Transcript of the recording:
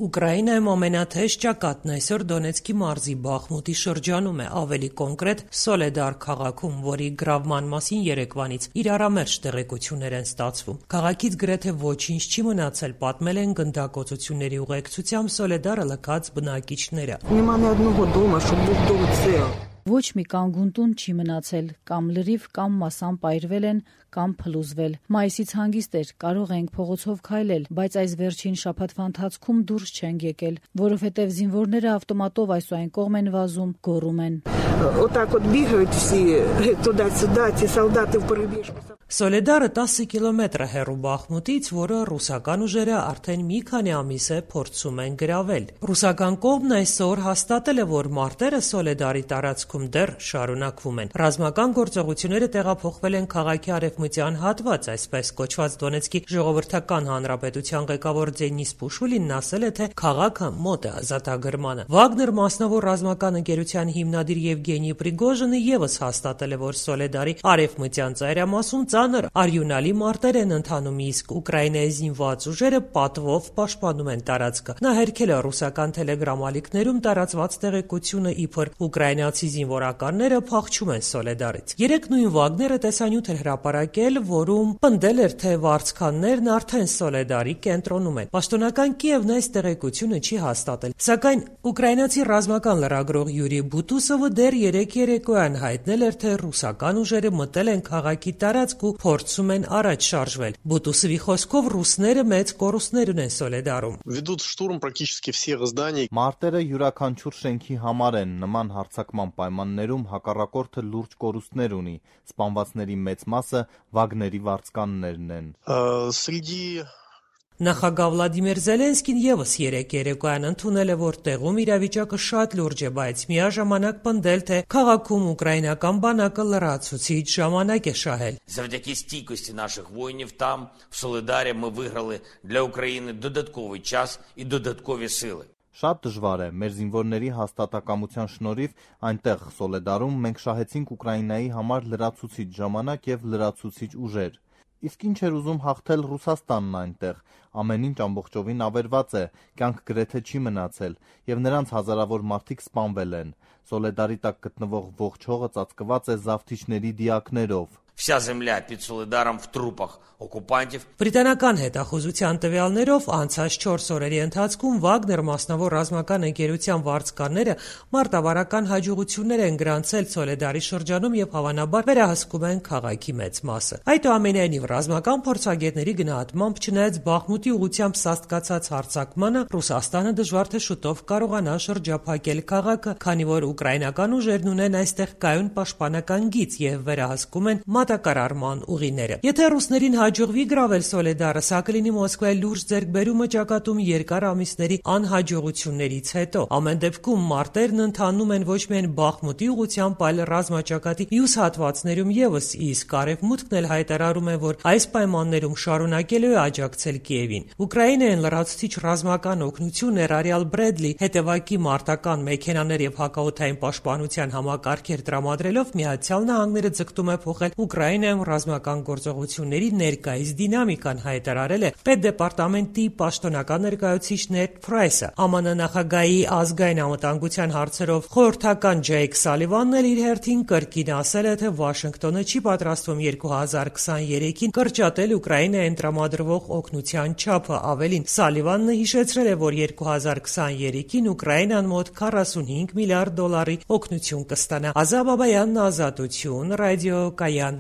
Ուկրաինայում ամենաթեժ ճակատն այսօր Դոնեցկի մարզի Բախմուտի շրջանում է, ավելի կոնկրետ Սոլեդար քաղաքում, որի գրավման մասին երեկվանից իրարամերժ տեղեկություններ են ստացվում։ Քաղաքից գրեթե ոչինչ չի մնացել, պատմել են գնդակոծությունների ուղեկցությամբ Սոլեդարը լքած բնակիչները։ Ոչ մի կանգուն տուն չի մնացել, կամ լրիվ կամ մասամբ այրվել են, կամ փլուզվել։ Մայիսից հանգիստ էր, կարող ենք փողոցով քայլել, բայց այս վերջին շաբաթվա ընթացքում դուրս չենք եկել, որովհետև զինվորները ավտոմատով այս ու այն կողմ են վազում, գոռում են։ Սոլեդարը 10 կիլոմետր է հեռու Բախմուտից, որը ռուսական ուժերը արդեն մի քանի ամիս է փորձում են գրավել։ Ռուսական կողմն այսօր հաստատել է, որ մարտերը Սոլեդարի տարածքում դեռ շարունակվում են։ Ռազմական գործողությունները տեղափոխվել են քաղաքի արևմտյան հատված, այսպես կոչված Դոնեցկի ժողովրդական հանրապետության ղեկավար Դենիս Պուշուլինն ասել է, թե քաղաքը մոտ է ազատագրմանը։ Վագներ մասնավոր ռազմական ընկերության հիմնադիր Եվգենի Պրիգոժինը ևս հաստատել է, որ Սոլեդարի արևմտյան ծայրամասում ծանր արյունալի մարտեր են ընթանում, իսկ Ուկրաինայի զինված ուժերը պատվով պաշտպանում են տարածքը։ Նա հերքել է ռուսական թելեգրամ ալիքներում տարածված տեղեկությունը, իբր ուկրաինացի զինվորականները փախչում են Սոլեդարից։ Երեկ նույն Վագները տեսանյութ էր հրապարակել, որում պնդել էր, թե վարձկաններն արդեն Սոլեդարի կենտրոնում են։ Պաշտոնական Կիևն այս տեղեկությունը չի հաստատել, սակայն ուկրաինացի ռազմական լրագրող Յուրի Բուտուսովը դեռ երեկ երեկոյան հայտնել էր, թե ռուսական ուժերը մտել են քաղաքի տարածք ու փորձում են առաջ շարժվել։ Բուտուսովի խոսքով ռուսները մեծ կորուստներ ունեն Սոլեդարում։ Մարտերը յուրաքանչյուր շենքի համար են, նման հարձակման պայմաններում հակառակորդը լուրջ կորուստներ ունի, սպանվածների մեծ մասը Վագների վարձկաններն են։ Նախագահ Վլադիմիր Զելենսկին ևս երեկ երեկոյան ընդունել է, որ տեղում իրավիճակը շատ լուրջ է, բայց միաժամանակ պնդել, թե քաղաքում ուկրաինական բանակը լրացուցիչ ժամանակ է շահել։ Завдяки стійкості наших воїнів там, в Солидарі, ми виграли для України додатковий час і додаткові сили. Շատ դժվար է, մեր զինվորների հաստատակամության շնորհիվ այնտեղ Սոլեդարում մենք շահեցինք Ուկրաինայի համար լրացուցիչ ժամանակ եւ լրացուցիչ ուժեր։ Իսկ ինչ էր ուզում հաղթել Ռուսաստանն այնտեղ, ամեն ինչ ամբողջովին ավերված է, կյանք գրեթե չի մնացել, եւ նրանց հազարավոր մարդիկ սպանվել են։ Սոլեդարի տակ գտնվող ողջ հողը ծածկված է զավթիչների դիակներով։ Вся земля під Солидаром в трупах окупантів. Բրիտանական հետախուզության տվյալներով անցած 4 օրերի ընթացքում Վագներ մասնավոր ռազմական ընկերության վարձկանները մարտավարական հաջողություններ են գրանցել Սոլեդարի շրջանում եւ հավանաբար վերահսկում են քաղաքի մեծ մասը։ Այդուամենայնիվ ռազմական փորձագետների գնահատմամբ չնայած Բախմուտի ուղությամբ սաստկացած հարձակմանը Ռուսաստանը դժվար թե շուտով կարողանա շրջափակել քաղաքը, քանի որ ուկրաինական ուժերն ունեն այստեղ կայուն պաշտպանական գիծ եւ վերահսկում են մատակարարման ուղիները։ Եթե ռուսներին հաջողվի գրավել Սոլեդարը, սա կլինի Մոսկվայի լուրջ ձեռքբերումը ճակատում երկար ամիսների անհաջողություններից հետո։ Ամեն դեպքում մարտերն ընթանում են ոչ միայն Բախմուտի ուղղությամբ, այլ ռազմաճակատի մյուս հատվածներում ևս, իսկ Արևմուտքն էլ հայտարարում է, որ այս պայմաններում շարունակելու է աջակցել Կիևին։ Ուկրաինային լրացուցիչ ռազմական օգնություն ներառյալ Բրեդլի հետևակի մարտական մեքենաներ եւ հակաօդային պաշտպանության համակարգեր տրամադրելով Միացյալ Նահանգները ձգտում է փոխել Ուկրաինայում ռազմական գործողությունների ներկայիս դինամիկան, հայտարարել է Պետդեպարտամենտի պաշտոնական ներկայացուցիչ Նեդ Փրայսը։ ԱՄՆ նախագահի ազգային անվտանգության հարցերով խորհրդական Ջեյք Սալիվանն էլ իր հերթին կրկին ասել է, թե Վաշինգտոնը չի պատրաստվում 2023-ին կրճատել Ուկրաինային տրամադրվող օգնության չափը։ Ավելին, Սալիվանն հիշեցրել է, որ 2023-ին Ուկրաինան մոտ 45 միլիարդ դոլարի օգնություն կստանա։ Ազատ Բաբայանն, Ազատություն, ռադիո Կայան։